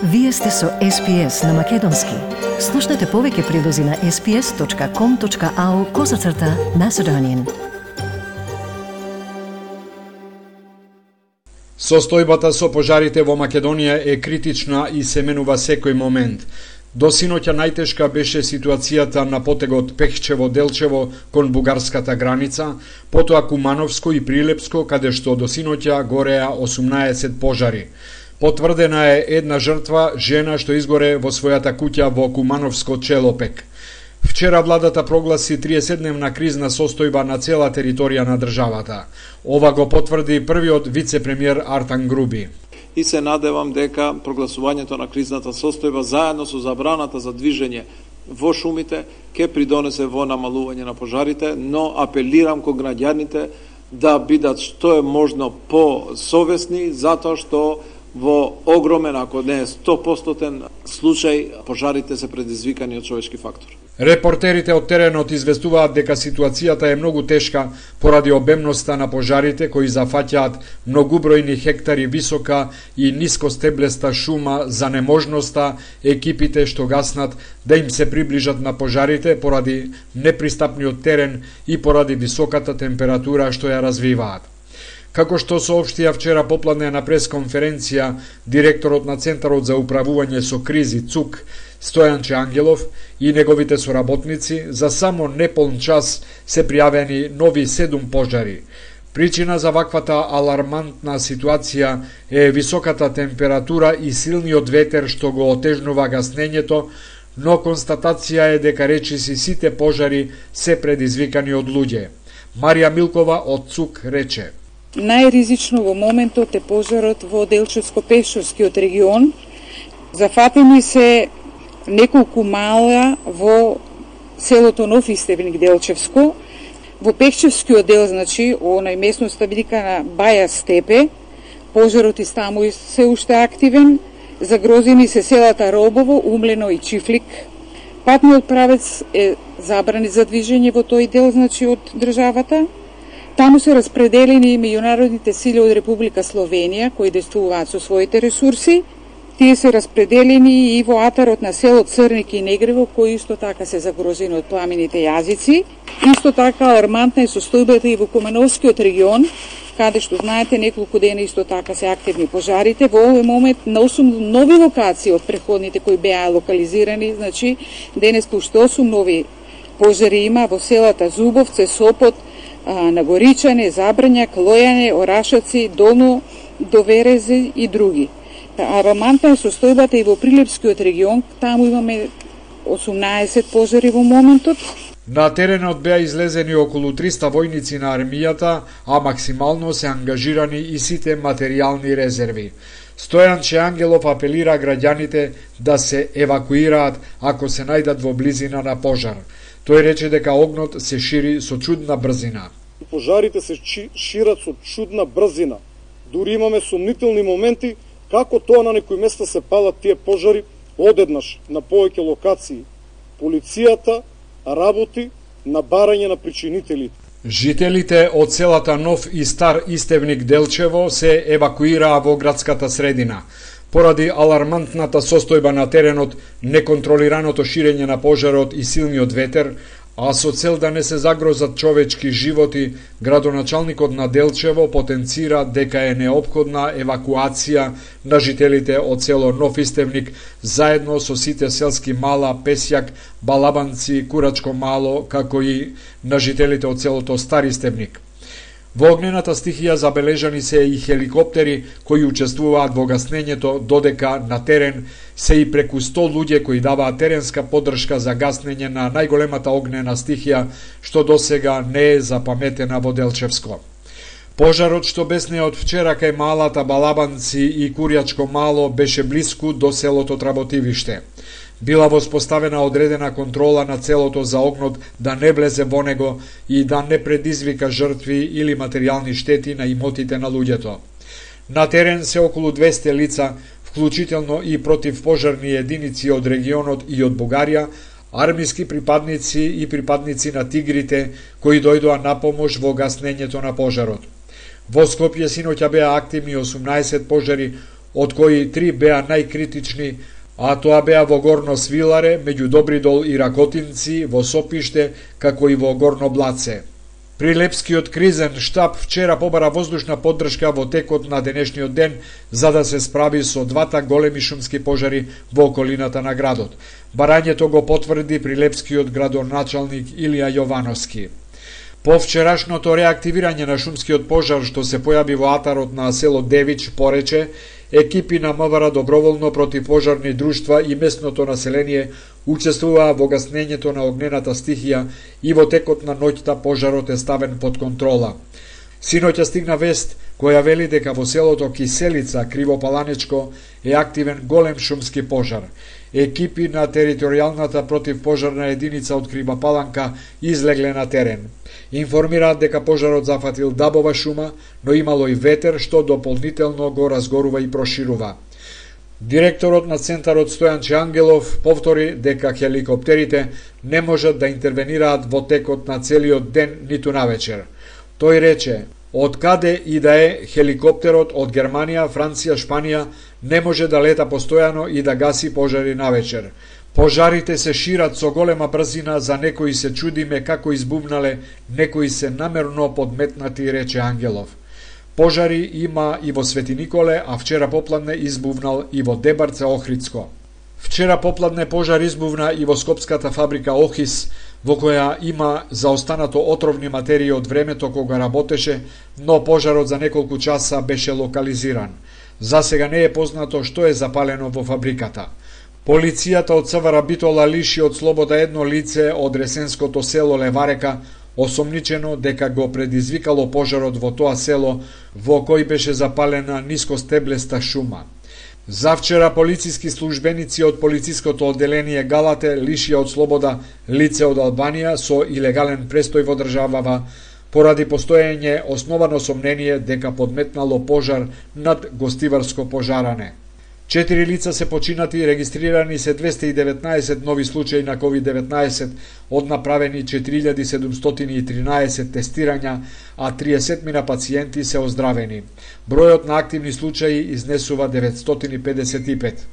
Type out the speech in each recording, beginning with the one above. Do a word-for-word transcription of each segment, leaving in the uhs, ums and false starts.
Вие сте со Ес Пи Ес на Македонски. Слушнете повеќе прилози на ес пи ес точка ком точка ау козацрта Macedonian. Состојбата со пожарите во Македонија е критична и се менува секој момент. До синоќа најтешка беше ситуацијата на потегот Пехчево-Делчево кон бугарската граница, потоа Кумановско и Прилепско, каде што до синоќа гореа осумнаесет пожари. Потврдена е една жртва, жена што изгоре во својата куќа во Кумановско Челопек. Вчера владата прогласи триесетдневна кризна состојба на цела територија на државата. Ова го потврди првиот вице-премиер Артан Груби. И се надевам дека прогласувањето на кризната состојба заедно со забраната за движење во шумите ќе придонесе во намалување на пожарите, но апелирам кон граѓаните да бидат што е можно посовесни, затоа што во огромен, ако не е сто проценти случај, пожарите се предизвикани од човечки фактор. Репортерите од теренот известуваат дека ситуацијата е многу тешка поради обемноста на пожарите кои зафаќаат многубројни хектари висока и нискостеблеста шума, за неможноста екипите што гаснат да им се приближат на пожарите поради непристапниот терен и поради високата температура што ја развиваат. Како што соопштија вчера попладне на пресконференција директорот на Центарот за управување со кризи ЦУК Стојанче Ангелов и неговите соработници, за само неполн час се пријавени нови седум пожари. Причина за ваквата алармантна ситуација е високата температура и силниот ветер што го отежнува гаснењето, но констатација е дека речиси сите пожари се предизвикани од луѓе. Марија Милкова од ЦУК рече: Најризично во моментот е пожарот во Делчевско-Пешовскиот регион. Зафатени се неколку мала во селото Нов Истебник Делчевско. Во Пехчевскиот дел, значи, онај местноста викана Баја Степе, пожарот и таму се уште активен. Загрозени се селата Робово, Умлено и Чифлик. Патниот правец е забрани за движење во тој дел, значи, од државата. Таму се распределени и меѓународните сили од Република Словенија, кои действуваат со своите ресурси. Тие се распределени и во атарот на село Црник и Негрево, кои исто така се загрозени од пламените јазици. Исто така алармантна е состојбата и во Кумановскиот регион, каде што знаете неколку дена исто така се активни пожарите. Во овој момент на осум нови локации од преходните кои беа локализирани, значи денеска уште осум нови пожари има во селата Зубовце, Сопот, на Горичане, Забрњак, Лојане, Орашаци, Долно, Доверезе и други. Алармантна е состојбата и во Прилепскиот регион, таму имаме осумнаесет пожари во моментот. На теренот беа излезени околу триста војници на армијата, а максимално се ангажирани и сите материјални резерви. Стојанче Ангелов апелира граѓаните да се евакуираат ако се најдат во близина на пожар. Тој рече дека огнот се шири со чудна брзина. Пожарите се шират со чудна брзина. Дури имаме сомнителни моменти како тоа на некои места се палат тие пожари одеднаш на повеќе локации. Полицијата работи на барање на причинителите. Жителите од селата Нов и Стар Истевник Делчево се евакуираа во градската средина. Поради алармантната состојба на теренот, неконтролираното ширење на пожарот и силниот ветер, а со цел да не се загрозат човечки животи, градоначалникот на Делчево потенцира дека е неопходна евакуација на жителите од село Нов Истевник заедно со сите селски мала, Песјак, Балабанци, Курачко мало, како и на жителите од селото Стар Истевник. Во огнената стихија забележани се и хеликоптери кои учествуваат во гаснењето, додека на терен се и преку сто луѓе кои даваат теренска поддршка за гаснење на најголемата огнена стихија што досега не е запаметена во Делчевско. Пожарот што бесне од вчера кај малата Балабанци и Курјачко мало беше блиску до селото Тработивиште. Била воспоставена одредена контрола на целото за огнот да не влезе во него и да не предизвика жртви или материјални штети на имотите на луѓето. На терен се околу двесте лица, вклучително и противпожарни единици од регионот и од Бугарија, армиски припадници и припадници на тигрите кои дојдоа на помош во гаснењето на пожарот. Во Скопје синоќа беа активни осумнаесет пожари, од кои три беа најкритични, а тоа беа во Горно Свиларе, меѓу Добридол и Ракотинци, во Сопиште, како и во Горно Блаце. Прилепскиот кризен штаб вчера побара воздушна поддршка во текот на денешниот ден за да се справи со двата големи шумски пожари во околината на градот. Барањето го потврди прилепскиот градоначалник Илија Јовановски. По вчерашното реактивирање на шумскиот пожар што се појави во атарот на село Девич, порече, екипи на МВР доброволно противпожарни друштва и местното население учествуваа во гаснењето на огнената стихија и во текот на ноќта пожарот е ставен под контрола. Синоќа стигна вест која вели дека во селото Киселица, Кривопаланечко, е активен голем шумски пожар. Екипи на територијалната противпожарна единица од Кривопаланка излегле на терен. Информираат дека пожарот зафатил дабова шума, но имало и ветер што дополнително го разгорува и проширува. Директорот на центарот Стојанче Ангелов повтори дека хеликоптерите не можат да интервенираат во текот на целиот ден ниту навечер. Тој рече, од каде и да е хеликоптерот од Германија, Франција, Шпанија не може да лета постојано и да гаси пожари навечер. Пожарите се шират со голема брзина, за некои се чудиме како избувнале, некои се намерно подметнати, рече Ангелов. Пожари има и во Свети Николе, а вчера попладне избувнал и во Дебарце Охридско. Вчера попладне пожар избувна и во скопската фабрика Охис, во која има заостанато отровни материи од времето кога работеше, но пожарот за неколку часа беше локализиран. За сега не е познато што е запалено во фабриката. Полицијата од ЦВР Битола лиши од слобода едно лице од ресенското село Леварека, осомничено дека го предизвикало пожарот во тоа село, во кој беше запалена нискостеблеста шума. Завчера полициски службеници од полициското одделение Галате лишија од слобода лице од Албанија со илегален престој во државава, поради постоење основано сомнение дека подметнало пожар над гостиварско пожаране. Четири лица се починати, регистрирани се двесте и деветнаесет нови случаи на ковид деветнаесет, од направени четири илјади седумстотини и тринаесет тестирања, а триесет мина пациенти се оздравени. Бројот на активни случаи изнесува деветстотини и педесет и пет.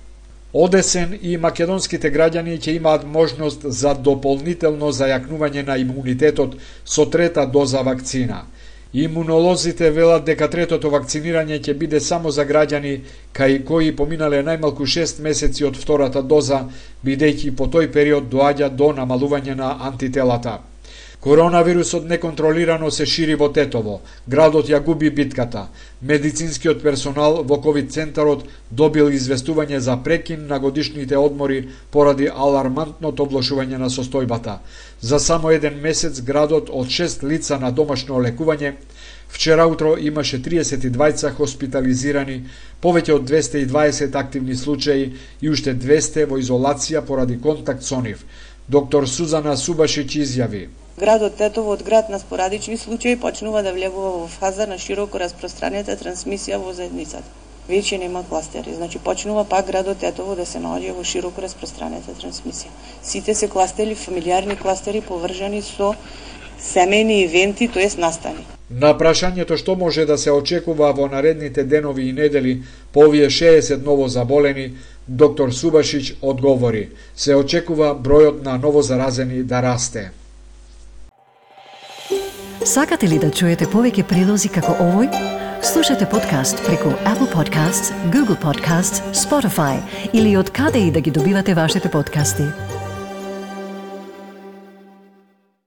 Одесен и македонските граѓани ќе имаат можност за дополнително зајакнување на имунитетот со трета доза вакцина. Имунолозите велат дека третото вакцинирање ќе биде само за граѓани кај кои поминале најмалку шест месеци од втората доза, бидејќи по тој период доаѓа до намалување на антителата. Коронавирусот неконтролирано се шири во Тетово. Градот ја губи битката. Медицинскиот персонал во ковид центарот добил известување за прекин на годишните одмори поради алармантното влошување на состојбата. За само еден месец градот од шест лица на домашно лекување, вчера утро имаше триесет и двајца хоспитализирани, повеќе од двесте и дваесет активни случаи и уште двесте во изолација поради контакт со нив. Доктор Сузана Субашиќ изјави: Градот Тетово од град на спорадични случаи почнува да влегува во фаза на широко распространета трансмисија во заедницата. Веќе нема кластери, значи почнува пак градот Тетово да се наоѓа во широко распространета трансмисија. Сите се кластери, фамилиарни кластери поврзани со семејни ивенти, тоест настани. На прашањето што може да се очекува во наредните денови и недели по овие шеесет ново заболени, доктор Субашиќ одговори: се очекува бројот на новозаразени да расте. Сакате ли да чуете повеќе прилози како овој? Слушате подкаст преку Apple Podcasts, Google Podcasts, Spotify или од каде и да ги добивате вашите подкасти.